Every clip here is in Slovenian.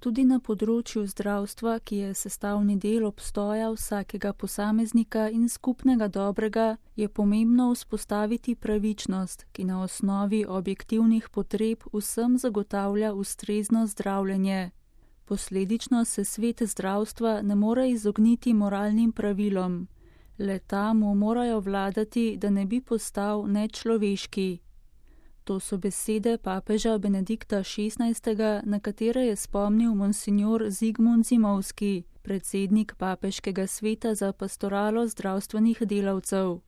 Tudi na področju zdravstva, ki je sestavni del obstoja vsakega posameznika in skupnega dobrega, je pomembno vzpostaviti pravičnost, ki na osnovi objektivnih potreb vsem zagotavlja ustrezno zdravljenje. Posledično se svet zdravstva ne more izogniti moralnim pravilom. Le-ta mu morajo vladati, da ne bi postal nečloveški. To so besede papeža Benedikta XVI., na katere je spomnil monsignor Zigmund Zimovski, predsednik Papeškega sveta za pastoralo zdravstvenih delavcev.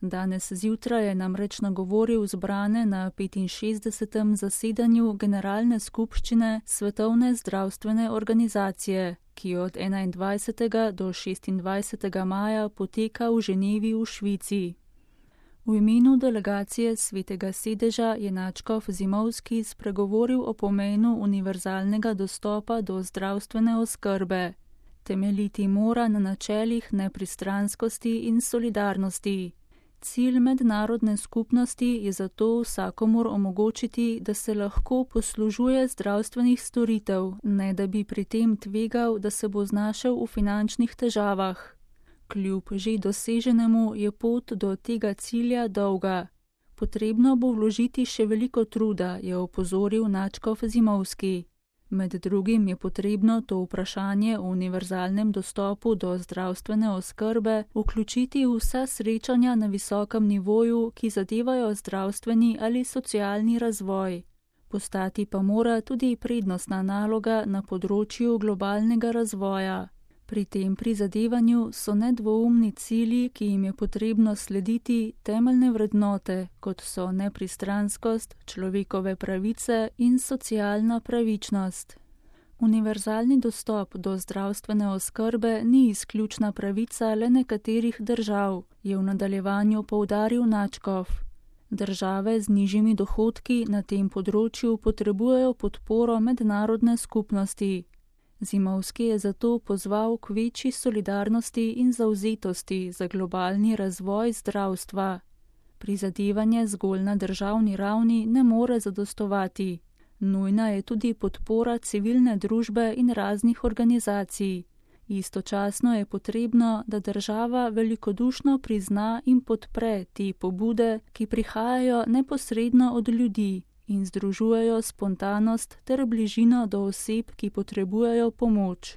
Danes zjutraj je namreč nagovoril zbrane na 65. zasedanju Generalne skupščine Svetovne zdravstvene organizacije, ki od 21. do 26. maja poteka v Ženevi v Švici. V imenu delegacije Svetega sedeža je nadškof Zimovski spregovoril o pomenu univerzalnega dostopa do zdravstvene oskrbe. Temeljiti mora na načelih nepristranskosti in solidarnosti. Cilj mednarodne skupnosti je zato vsakomur omogočiti, da se lahko poslužuje zdravstvenih storitev, ne da bi pri tem tvegal, da se bo znašel v finančnih težavah. Kljub že doseženemu je pot do tega cilja dolga. Potrebno bo vložiti še veliko truda, je opozoril nadškof Zimovski. Med drugim je potrebno to vprašanje o univerzalnem dostopu do zdravstvene oskrbe vključiti v vsa srečanja na visokem nivoju, ki zadevajo zdravstveni ali socialni razvoj. Postati pa mora tudi prednostna naloga na področju globalnega razvoja. Pri tem prizadevanju so nedvoumni cilji, ki jim je potrebno slediti, temeljne vrednote, kot so nepristranskost, človekove pravice in socialna pravičnost. Univerzalni dostop do zdravstvene oskrbe ni izključna pravica le nekaterih držav, je v nadaljevanju poudaril nadškof. Države z nižjimi dohodki na tem področju potrebujejo podporo mednarodne skupnosti. Zimovski je zato pozval k večji solidarnosti in zavzetosti za globalni razvoj zdravstva. Prizadevanje zgolj na državni ravni ne more zadostovati. Nujna je tudi podpora civilne družbe in raznih organizacij. Istočasno je potrebno, da država velikodušno prizna in podpre te pobude, ki prihajajo neposredno od ljudi in združujejo spontanost ter bližino do oseb, ki potrebujejo pomoč.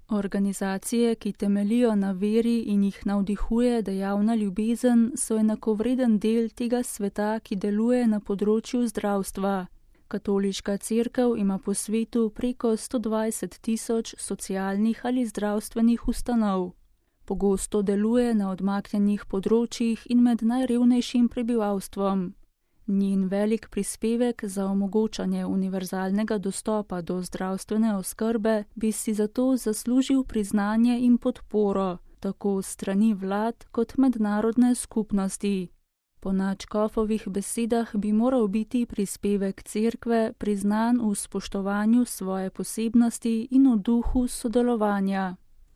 Organizacije, ki temeljijo na veri in jih navdihuje dejavna ljubezen, so enakovreden del tega sveta, ki deluje na področju zdravstva. Katoliška cerkev ima po svetu preko 120 000 socialnih ali zdravstvenih ustanov. Pogosto deluje na odmaknjenih področjih in med najrevnejšim prebivalstvom. Njen velik prispevek za omogočanje univerzalnega dostopa do zdravstvene oskrbe bi si zato zaslužil priznanje in podporo, tako strani vlad kot mednarodne skupnosti. Po nadškofovih besedah bi moral biti prispevek cerkve priznan v spoštovanju svoje posebnosti in v duhu sodelovanja.